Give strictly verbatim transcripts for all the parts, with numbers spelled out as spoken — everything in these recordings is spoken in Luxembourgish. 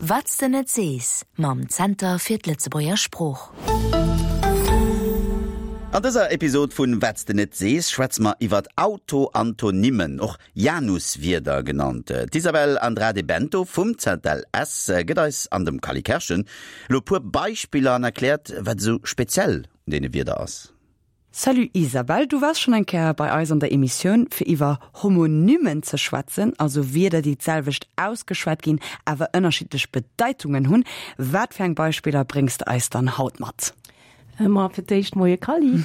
Wat s de net sees mam Zenter fir d'Lëtzebuerger Sprooch. An dëser Episod vun Wat s de net sees schwätze mer iwwer Autoantonymen, och Januswierder genannt. D'Isabel Andrade Bento vum ZLS gëtt eis an dem Cally Kerschen elo e puer Beispiller an erkläert, wat esou speziell un deene Wierder ass. Salut Isabel, du waars schonn eng Kéier bei eis an der Emissioun fir iwwer Homonymen ze schwätzen, also Wierder déi d'selwecht ausgeschwat ginn, awer ënnerschiddlech Bedeitungen hunn. Wat fir eng Beispiller bréngs de eis dann haut mat? Ma fir d'éischt Moie Cally.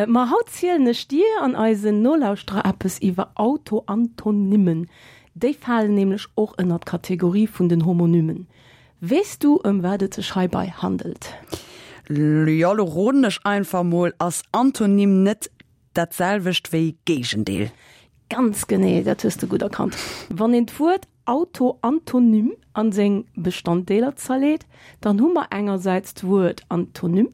Ma haut zielen ech dir an eisen Nolauschterer eppes iwwer Autoantonymen. Déi falen nämlech och ënner d'Kategorie vun den Homonymen. Weess du ëm wat et sech heibei handelt? Jo, lo roden ech einfach mol, ass Antonym net dat selwecht wéi Géigendeel? Ganz genee, dat hues de gutt erkannt. Wann een d'Wuert Autoantonym an seng Bestanddeeler zerleet, dann hu mer engersäits d'Wuert Antonym,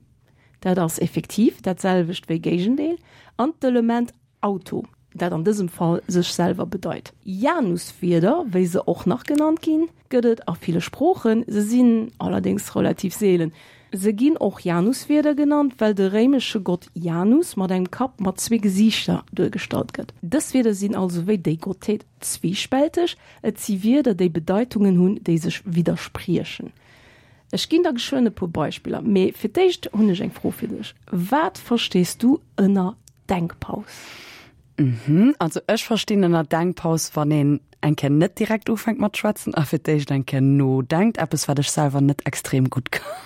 dat ass effektiv dat selwecht wéi Géigendeel, an d'Element Auto, dat an dësem Fall sech selwer bedeit. Januswierder, wéi se och nach genannt ginn, gëtt et a ville Sproochen, se sinn allerdéngs relativ seelen. Se ginn och Januswierder genannt, well de réimesche Gott Janus mat engem Kapp mat zwee Gesiichter duergestallt gëtt. Dës Wierder sinn also wéi déi Gottheet zwiespälteg, et si Wierder, déi Bedeitungen hunn, déi sech widderspriechen. Ech ginn der geschwënn e puer Beispiller, mee fir d'éischt hunn ech eng Fro fir dech, Wat verstees du ënner Denkpaus? Mhm, also ech verstinn ënner Denkpaus, wann een eng Kéier net direkt ufänkt mat schwätzen a fir d'éischt eng Kéier nodenkt, eppes wat ech selwer net extrem gutt kann.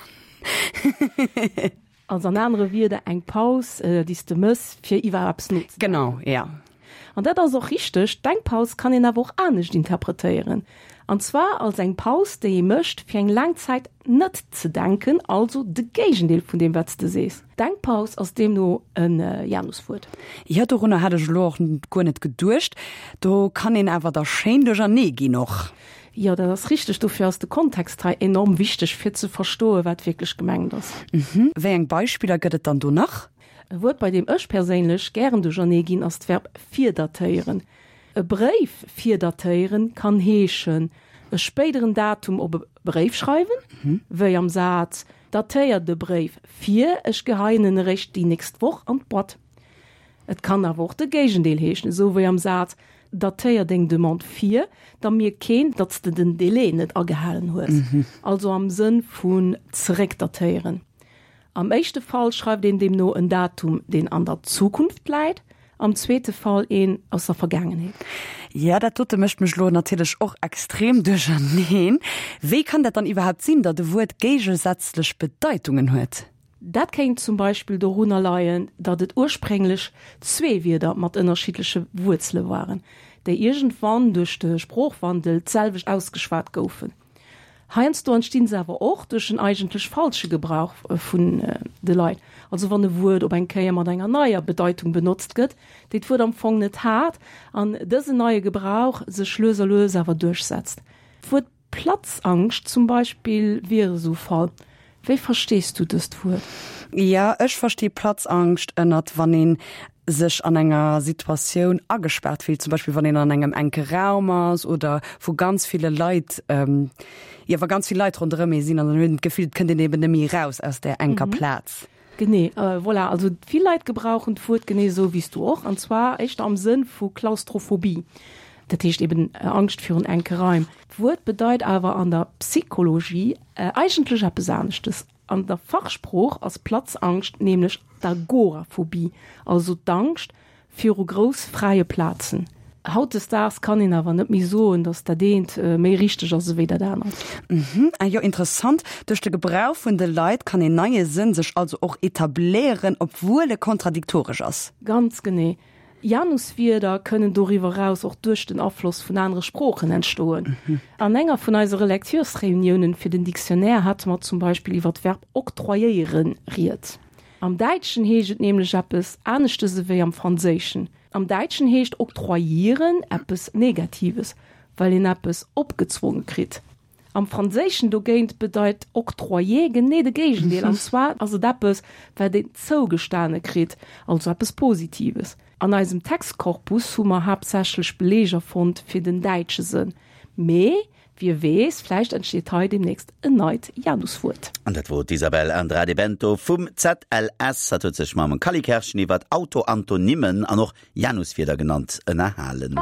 Also an anere Wierder eng Paus, déi s de mëss, fir iwwer eppes nozedenken. Genau, ja. An dat ass och richteg, d'Denkpaus kann een awer och anescht interpretéieren. An zwar als eng Paus, déi ee mécht, fir eng laang Zäit net ze denken, also de Géigendeel vun deem, wat s de sees. Denkpaus ass deemno e Januswuert. Jo, dorunner hat ech elo och guer net geduecht. Do kann een awer da schéin duerchernee ginn och. Jo, dat ass richteg. Dofir ass de Kontext hei enorm wichteg, fir ze verstoen, wat wierklech gemengt ass. Mhm. Wéi eng Beispiller gëtt et dann do nach? E Wuert, bei deem ech perséinlech gären duerchernee ginn, ass d'Verb virdatéieren. E Bréif virdatéieren kann heeschen, e spéideren Datum op e Bréif schreiwen, wéi am Saz, Datéier de Bréif vir, ech geheien en eréischt déi nächst Woch an d'Boîte. Et kann awer och de Géigendeel heeschen, esou wéi am Saz, Datéier deng Demande vir, da mierkt keen, datt s de den Delai net agehalen hues. Also am Sënn vun zeréckdatéieren. Am éischte Fall schreift een deemno en Datum, deen an der Zukunft läit, am zweete Fall een aus der Vergaangenheet. Jo, dat dote mécht mech elo natierlech och extrem duercherneen. Wéi kann dat dann iwwerhaapt sinn, datt e Wuert géigesätzlech Bedeitungen huet? Dat kéint zum Beispill dorunner leien, datt et ursprénglech zwee Wierder mat ënnerschiddleche Wuerzele waren, déi iergendwann duerch de Sproochwandel d'selwecht ausgeschwat goufen. Heiansdo entstinn se awer och duerch en eigentlech falsche Gebrauch vun de Leit, also wann e Wuert op eng Kéier mat enger neier Bedeitung benotzt gëtt, déi d'Wuert am Fong net hat, an dësen neie Gebrauch sech lues a lues awer duerchsetzt. D'Wuert Platzangscht zum Beispill wier esou Fall. Wéi verstees du dëst Wuert? Jo, ech versti Platzangscht ënnert wann een sech an enger Situatioun agespaart fillt, zum Beispill wann een an engem enke Raum ass oder vu ganz ville Leit, jo wa ganz vill Leit ronderëm ee sinn an dann huet een d'Gefill, et kënnt een eben net méi eraus aus där enker Plaz. Genee, voilà. Also vill Leit gebrauchen d'Wuert genee esou wéi s du och, an zwar éischter am Sënn vu Klaustrophobie, dat heescht eben Angscht virun enke Raim. D'Wuert bedeit awer an der Psychologie eigentlech eppes aneschtes. An der Fachsprooch ass Platzangscht nämlech d'Agoraphobie, also d'Angscht viru grouss fräie Plazen. Hautdesdaags kann een awer net méi soen, datt dat eent méi richteg ass ewéi dat anert. Mhm, ah jo, interessant. Duerch de Gebrauch vun de Leit kann een neie Sënn sech also och etabléieren, obwuel e kontradiktoresch ass. Ganz genee. Januswierder kënnen doriwwer eraus och duerch den Afloss vun anere Sproochen entstoen. An enger vun eise Relecturesreuniounen fir den Dictionnaire hate mer zum Beispill iwwer d'Verb octroyéieren rieds. Am Däitschen heescht et nämlech eppes aneschtes ewéi am Franséischen. Am Däitschen heescht octroyieren eppes Negatives, well een eppes opgezwonge kritt. Am Franséischen dogéint bedeit octroyer genee de Géigendeel, an zwar ass et eppes, wat een zougestane kritt, also eppes Positives. An eisem Textkorpus hu mer haaptsächlech Beleeger fonnt fir den däitsche Sënn, mee Wie weess, vläicht entsteet hei deemnächst en neit Januswuert. An dat wor d'Isabel Andrade Bento vum ZLS. Hatt huet sech mam Cally Kerschen iwwert Autoantonymen an och Januswierder genannt ënnerhalen.